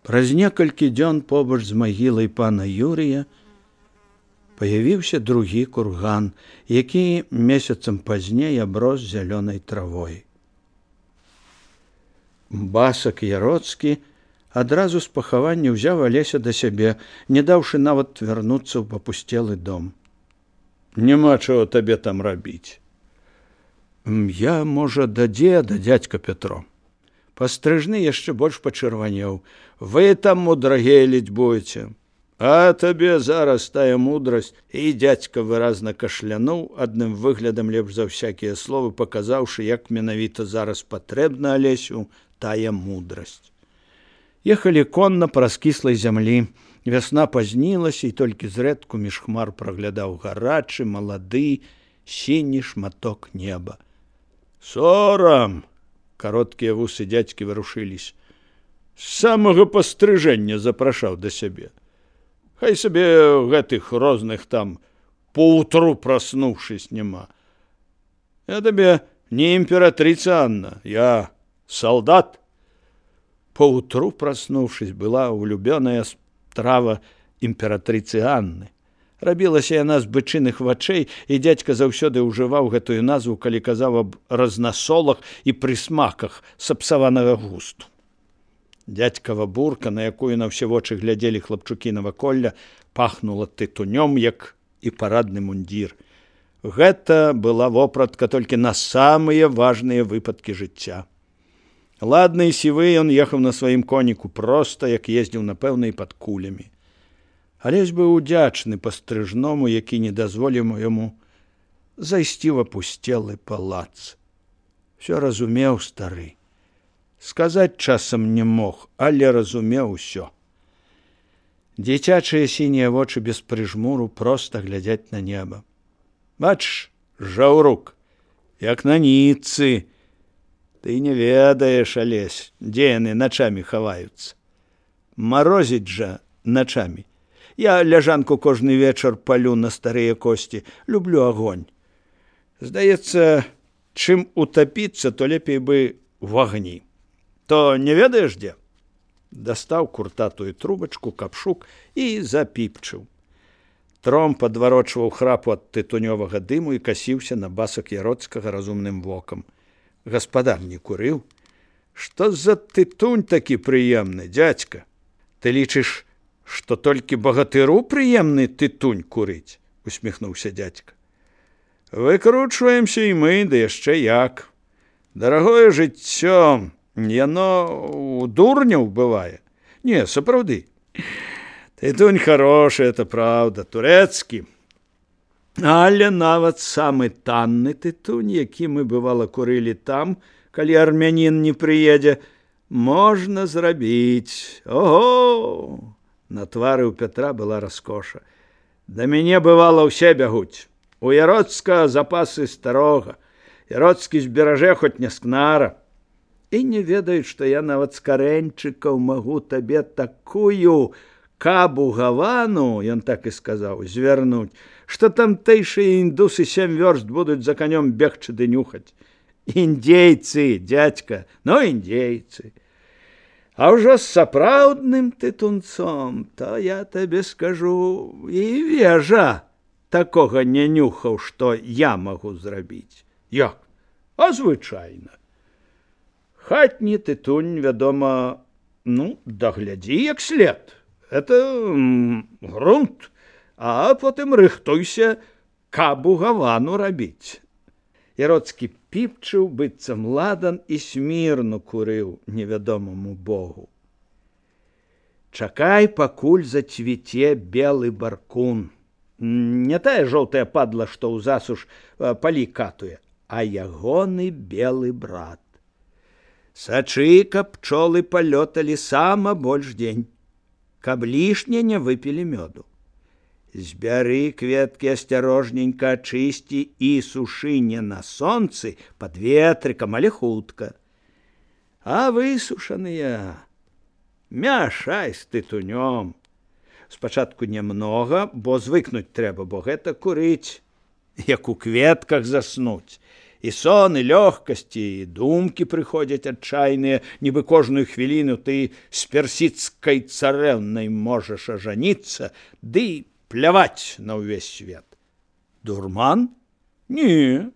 Праз некалькі дзён побач з магілай пана Юрія паявіўся другі курган, які месяцам пазней аброс зялёнай травой. Басак Яроцкі адразу з пахавання ўзяў Алеся да сябе, не даўшы нават вярнуцца ў папусцелы дом. «Няма чаго табе там рабіць». «Я, можа, да дзеда, дядька Пятро». Пастрыжны яшчэ больш пачырванеў. «Вы там мудрагеліць будзеце. А табе зараз тая мудрасць». І дядька выразна кашлянуў, адным выглядам лепш за ўсякія словы, паказаўшы, як менавіта зараз патрэбна Алесю тая мудрасць. Ехалі конна праз кіслай зямлі. Вясна пазнілася, і толькі зрэдку між хмар праглядаў гарачы, малады, сіні шматок неба. «Сорам!» Кароткія вусы дзядзькі варушыліся. «З самага пастрыжэння запрашаў да сябе. Хай сабе гэтых розных там поутру праснуўшись няма. Я табе не імператрыца Анна, я салдат». Поутру праснуўшись была улюбёная страва імператрыцы Анны. Рабілася яна з бычыных вачэй, і дзядзька заўсёды ўжываў гэтую назву, калі казаў аб разнасолах і прысмаках сапсаванага густу. Дзядзькава бурка, на якую на ўсе вочы глядзелі хлапчукі наваколля, пахнула тытунём, як і парадны мундзір. Гэта была вопратка толькі на самыя важныя выпадкі жыцця. Ладны і сівы ён ехаў на сваім коніку проста, як ездзіў, напэўна, і пад кулямі. Алесь быў удзячны пастрыжному, які не дазволіў яму зайсці ў апусцелы палац. Всё разумеў стары. Сказаць часам не мог, але разумеў усё. Дзіцячыя сінія вочы без прыжмуру проста глядзяць на неба. Бачыш, жаўрук, як на ніцы. Ты не ведаеш, Алесь, дзе яны начамі хаваюцца. Марозіць жа начамі. Я ляжанку кожны вечар палю на старыя косці, люблю агонь. Здаецца, чым утапіцца, то лепей бы в агні. То не ведаеш дзе? Дастаў куртатую трубачку, капшук і запіпчыў. Тром падварочваў храпу ад тытунёвага дыму і касіўся на басак Яроцкага разумным вокам. Гаспадар не курыў. Што за тытунь такі прыемны, дзядзька? Ты лічыш, што толькі багатыру прыемны тытунь курыць? Усміхнуўся дзядзька. Выкручваемся і мы, да яшчэ як. Дарагое жыццё, яно у дурняў бывае. Не, сапраўды. Тытунь хорошы, это правда, турэцкі. Але нават самы танны тытунь, які мы, бывала, курылі там, калі армянін не прыедзе, можна зрабіць. Ого! На твары ў Пятра была раскоша. Да мяне, бывала, ўсе бягуць. У Яроцка запасы старога. Яроцкі зберажэ хоць не скнара. І не ведаюць, што я нават з карэньчыкаў магу табе такую кабу гавану, ён так і сказаў, звярнуць, што тамтэйшыя індусы 7 вёрст будуць за канём бегчы ды нюхаць. Індзейцы, дзядзька, ну індзейцы. А ўжо з сапраўдным тытунцом, то я табе скажу, і вежа такога не нюхаў, што я магу зрабіць. Як? А звычайна. Хатні тытунь, вядома, ну, даглядзі як след. Это грунт. А потым рыхтуйся кабу гавану рабіць. Яроцкі піпчыў, быццам ладан, і смірну курыў невядомаму богу. Чакай, пакуль зацвіце белы баркун. Не тая жоўтая падла, што ў засуш палі катуе, а ягоны белы брат. Сачы, каб пчолы палёталі сама больш дзень, каб лішне не выпілі мёду. Збяры кветкі асцярожненька, ачысці і сушы не на сонцы, пад ветрыкам, але хутка. А высушаныя мяшай з тытунём. Спачатку нямнога, бо звыкнуць трэба, бо гэта курыць, як у кветках заснуць. І сон, і лёгкасць, і думкі прыходзяць адчайныя, нібы кожную хвіліну ты з персідскай царэўнай можаш ажаніцца, ды пляваць на ўвесь свет. Дурман? Не,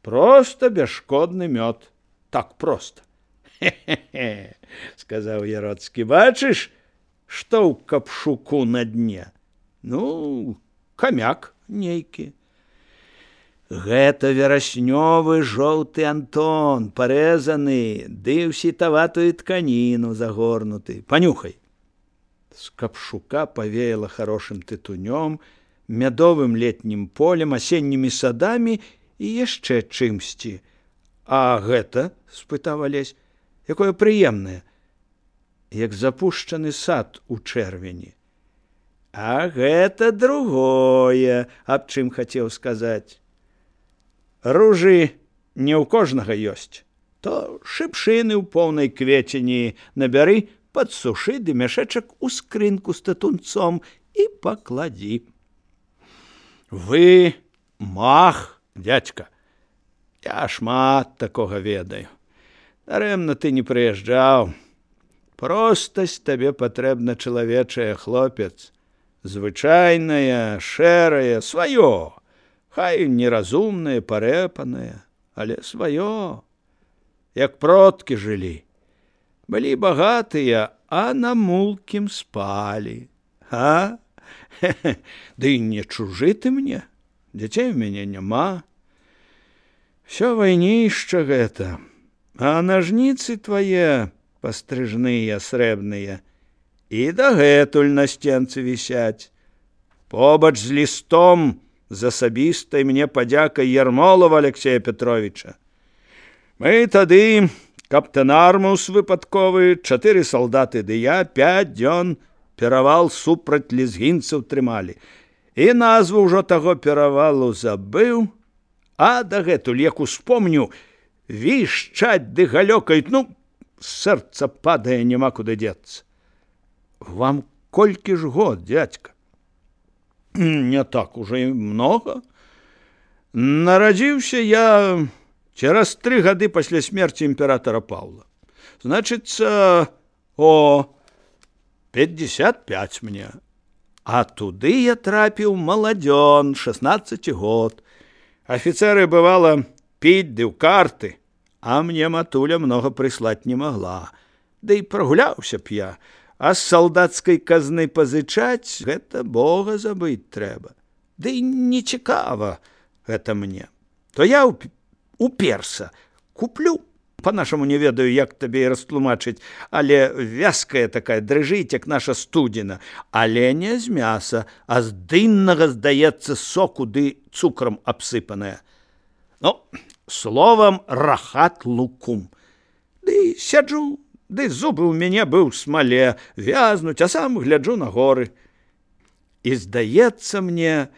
просто бясшкодны мёд. Так проста. Хе-хе-хе, сказаў Яроцкі, бачыш, што ў капшуку на дне? Ну, камяк нейкі. Гэта вераснёвы жоўты Антон, парэзаны, ды ў сітаватую тканіну загорнуты. Панюхай. З капшука павеяла хорошым тытунём, мядовым летнім полем, асеннімі садамі і яшчэ чымсьці. А гэта, спытаў Алесь, якое прыемнае, як запушчаны сад у чэрвені. А гэта другое, аб чым хацеў сказаць. Ружы не ў кожнага ёсць, то шыпшыны ў поўнай квецені набяры, падсушы ды мяшэчак у скрынку з татунцом і пакладзі. Вы мах, дзядзька, я шмат такога ведаю. Дарэмна ты не прыязджаў. Простасць табе патрэбна чалавечая, хлопец. Звычайная, шэрая, сваё. Хай неразумнае, парэпанае, але сваё. Як продкі жылі. Былі багатыя, а на мулкім спалі. А? Ды не чужы ты мне. Дзяцей у мяне няма. Всё вайнішча гэта. А нажніцы твае пастрыжныя, срэбныя, і дагэтуль на сценцы вісяць. Побач з лістом з асабістай мне падзякай Ярмолава Алексея Петровича. Мы тады каптэнармус выпадковы, 4 салдаты ды я 5 дзён перавал супраць лезгінцаў трымалі. І назву ўжо таго перавалу забыў, а дагэтуль, як успомню, вішчаць ды галёкаюць, ну, сэрца падае, няма куды дзецца. Вам колькі ж год, дзядзька? Не так уже і много. Нарадзіўся я цераз 3 гады пасля смерці імператора Паўла. Значыцца, 55 мне. А туды я трапіў маладзён, 16 год. Афіцеры, бывала, піць ды ў карты, а мне матуля многа прыслаць не магла. Ды і прагуляўся б я, а з салдацкай казны пазычаць, гэта Бога забыць трэба. Ды і нецікава гэта мне. То я уперся, куплю. Па-нашаму не ведаю, як табе і растлумачыць, але вязкая такая, дрыжыць, як наша студзена, але не з мяса, а з дыннага, здаецца, соку ды цукрам абсыпаная. Ну, словам, рахат лукум. Ды сяджу, ды зубы ў мяне быў смале, вязнуць, а сам гляджу на горы. І здаецца мне,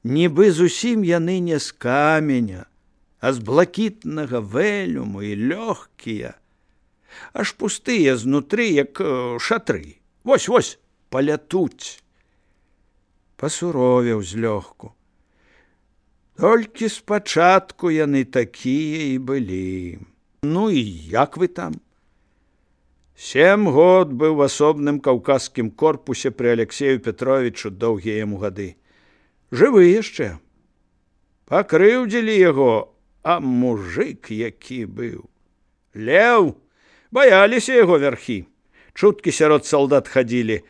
нібы зусім яны не з каменя, а з блакітнага вэлюму і лёгкія, аж пустыя знутры, як шатры. Вось-вось, палятуць. Пасуровеў злёгку. Толькі спачатку яны такія і былі. Ну і як вы там? 7 год быў в асобным каўказскім корпусе пры Алексею Петровичу, доўгія яму гады. Жывы яшчэ. Пакрыўдзілі яго, а мужик які быў. Леў, баяліся яго вярхі. Чуткі сярод салдат хадзілі,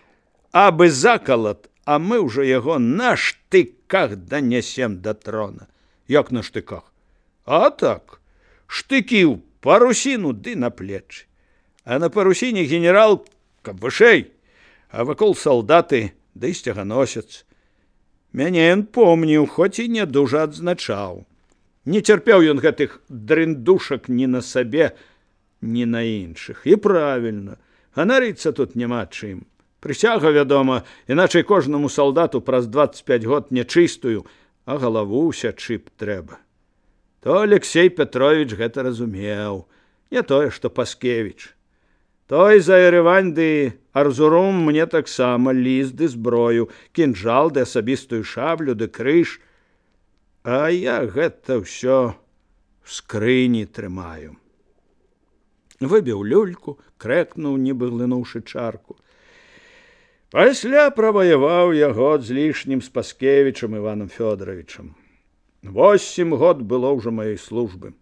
абы закалат, а мы ўжо яго на штыках данясем да трона. Як на штыках? А так, штыкі ў парусіну ды на плечы. А на парусіне генерал, каб вышэй, а вакол салдаты ды сцяганосец. Мяне ён помніў, хоць і не дужа адзначаў. Не цярпеў ён гэтых дрындушак ні на сабе, ні на іншых. І правільна, ганарыцца тут няма чым. Прысяга, вядома, іначай кожнаму салдату праз 25 год нячыстую, а галаву сячы б трэба. То Алексей Петрович гэта разумеў, не тое, што Паскевіч. Той за Еревань ды Арзурум мне таксама ліст ды зброю, кінжал ды асабістую шаблю ды крыж. А я гэта ўсё в скрыні трымаю. Выбіў люльку, крэкнуў, нібы глынуўшы чарку. Пасля праваяваў я год з лішнім з Паскевічам Іванам Фёдоровичам. 8 год было ўжо маёй службы.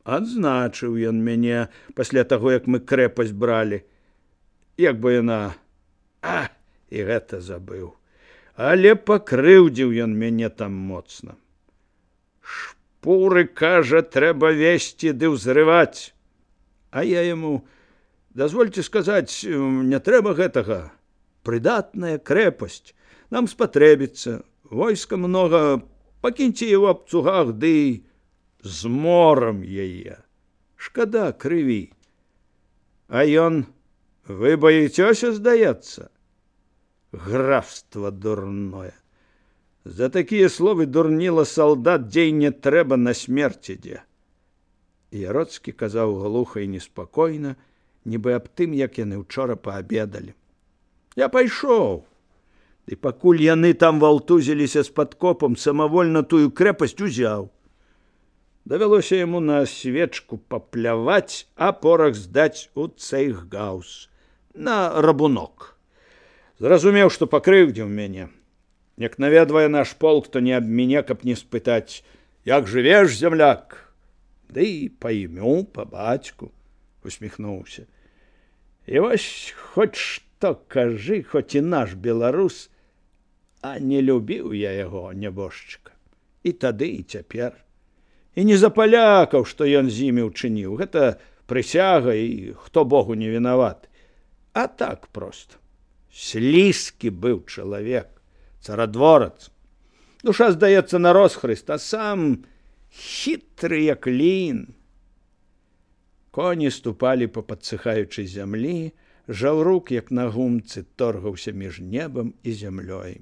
Адзначыў ён мяне пасля таго, як мы крэпасць бралі. Як бы яна... і гэта забыў. Але пакрыўдзіў ён мяне там моцна. Шпуры, кажа, трэба весці ды ўзрываць. А я яму: дазвольце сказаць, не трэба гэтага. Прыдатная крэпасць. Нам спатрэбіцца. Войска многа. Пакіньце его аб цугах, ды з морам яе. Шкада крыві. А ён: вы боіцёся, здаецца? Графства дурное. За такія словы дурніла салдат, дзей не трэба, на смерць ідзе. Яроцкі казаў глуха і неспакойна, нібы аб тым, як яны ўчора паабедалі. Я пайшоў. Ды пакуль яны там валтузіліся з падкопам, самавольна тую крэпасць узяў. Давялося яму на свечку папляваць, а порах здаць у цейхгаус, на рабунок. Зразумеў, што пакрыўдзіў мяне. Як наведвае наш полк, то не аб мяне, каб не спытаць: як жывеш, зямляк? Ды па імю, па бацьку, усміхнуўся. І вось хоць што кажы, хоць і наш беларус, а не любіў я яго, нябожчыка. І тады, і цяпер. І не за палякаў, што ён з імі ўчыніў. Гэта прысяга, і хто Богу не вінаваты. А так проста. Слізкі быў чалавек, царадворац. Душа, здаецца, на розхрыст, а сам хітры, як лін. Коні ступалі па падсыхаючай зямлі, жаўрук, як на гумцы, торгаўся між небам і зямлёй.